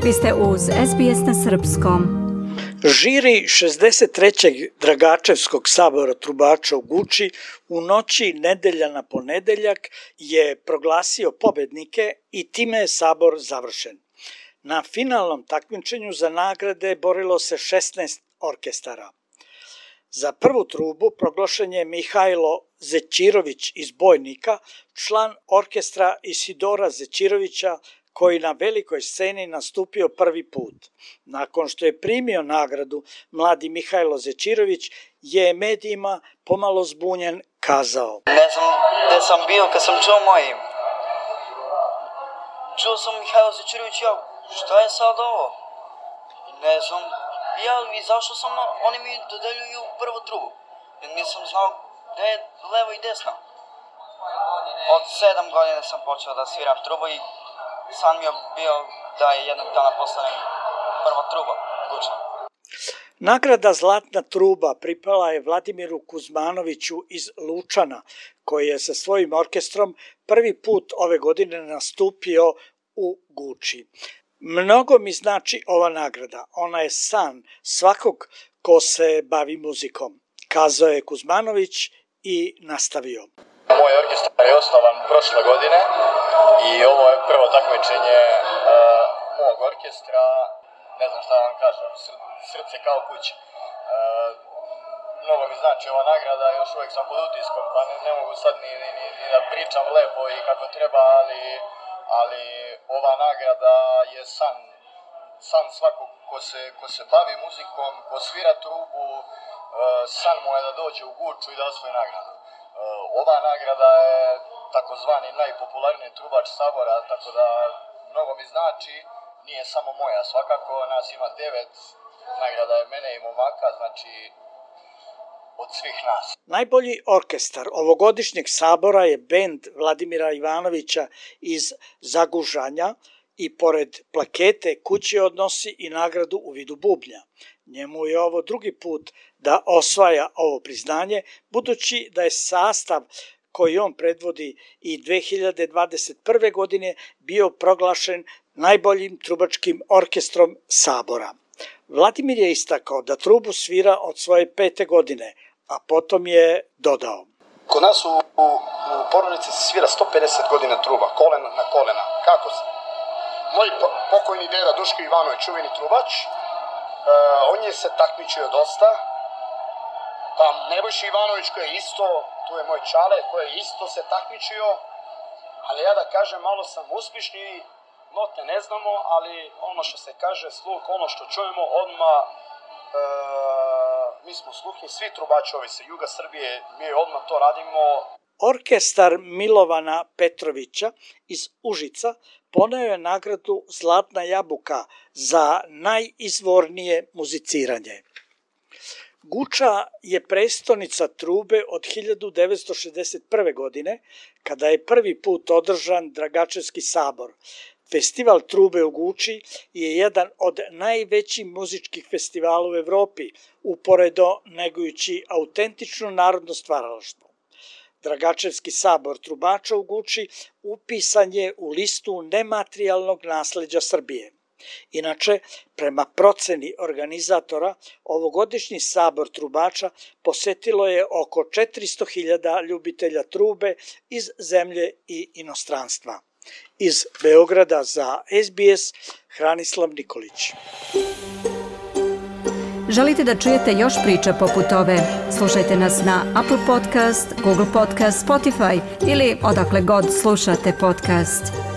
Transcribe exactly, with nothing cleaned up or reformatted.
Vi ste uz S B S na srpskom. Žiri šezdeset trećeg Dragačevskog sabora trubača u Guči u noći nedelja na ponedeljak je proglasio pobednike i time je sabor završen. Na finalnom takmičenju za nagrade borilo se šesnaest orkestara. Za prvu trubu proglašen je Mihajlo Zećirović iz Bojnika, član orkestra Isidora Zećirovića, koji na velikoj sceni nastupio prvi put. Nakon što je primio nagradu, mladi Mihajlo Zećirović je medijima pomalo zbunjen kazao: Ne znam gde sam bio kad sam čuo moje ime. Čuo sam Mihajlo Zećirović, ja, šta je sad ovo? Ne znam, ja izašao sam, oni mi dodeljuju prvu trubu. Nisam znao gde je levo i desno. Od sedam godina sam počeo da sviram trubu i san mi je bio da je jednog dana postanem prva truba Guča. Nagrada Zlatna truba pripala je Vladimiru Kuzmanoviću iz Lučana, koji je sa svojim orkestrom prvi put ove godine nastupio u Guči. Mnogo mi znači ova nagrada, ona je san svakog ko se bavi muzikom, kazao je Kuzmanović i nastavio. Moj orkestar je osnovan prošle godine i ovo je prvo takmičenje uh, mog orkestra, ne znam šta vam kažem, srce kao kuća. Uh, mnogo mi znači ova nagrada, još uvijek sam pod utiskom, pa ne, ne mogu sad ni, ni, ni da pričam lepo i kako treba, ali, ali ova nagrada je san, san svakog ko se, ko se bavi muzikom, ko svira trubu, uh, san mu je da dođe u Guču i da osvoji nagradu. Ova nagrada je takozvani najpopularniji trubač sabora, tako da mnogo mi znači, nije samo moja svakako, nas ima devet, nagrada je mene i momaka, znači od svih nas. Najbolji orkestar ovogodišnjeg sabora je bend Vladimira Ivanovića iz Zagužanja i pored plakete kući odnosi i nagradu u vidu bubnja. Njemu je ovo drugi put da osvaja ovo priznanje, budući da je sastav koji on predvodi i dve hiljade dvadeset prve. godine bio proglašen najboljim trubačkim orkestrom sabora. Vladimir je istakao da trubu svira od svoje pete godine, a potom je dodao: Kod nas u, u, u porodici se svira sto pedeset godina truba, kolena na kolena. Kako se? Moj pokojni deda Duško Ivanović, čuveni trubač, Uh, on je se takmičio dosta, pa Nebojša Ivanović koji je isto, tu je moj čale koji je isto se takmičio, ali ja da kažem malo sam uspješni, note ne znamo, ali ono što se kaže sluh, ono što čujemo odmah, uh, mi smo sluhni, svi trubačovi sa juga Srbije, mi odmah to radimo. Orkestar Milovana Petrovića iz Užica poneo je nagradu Zlatna jabuka za najizvornije muziciranje. Guča je prestonica trube od hiljadu devetsto šezdeset prve. godine, kada je prvi put održan Dragačevski sabor. Festival trube u Guči je jedan od najvećih muzičkih festivala u Evropi, uporedo negujući autentično narodno stvaralaštvo. Dragačevski sabor trubača u Guči upisan je u listu nematerijalnog nasleđa Srbije. Inače, prema proceni organizatora, ovogodišnji sabor trubača posetilo je oko četiristo hiljada ljubitelja trube iz zemlje i inostranstva. Iz Beograda za S B S, Hranislav Nikolić. Želite da čujete još priča poput ove? Slušajte nas na Apple Podcast, Google Podcast, Spotify ili odakle god slušate podcast.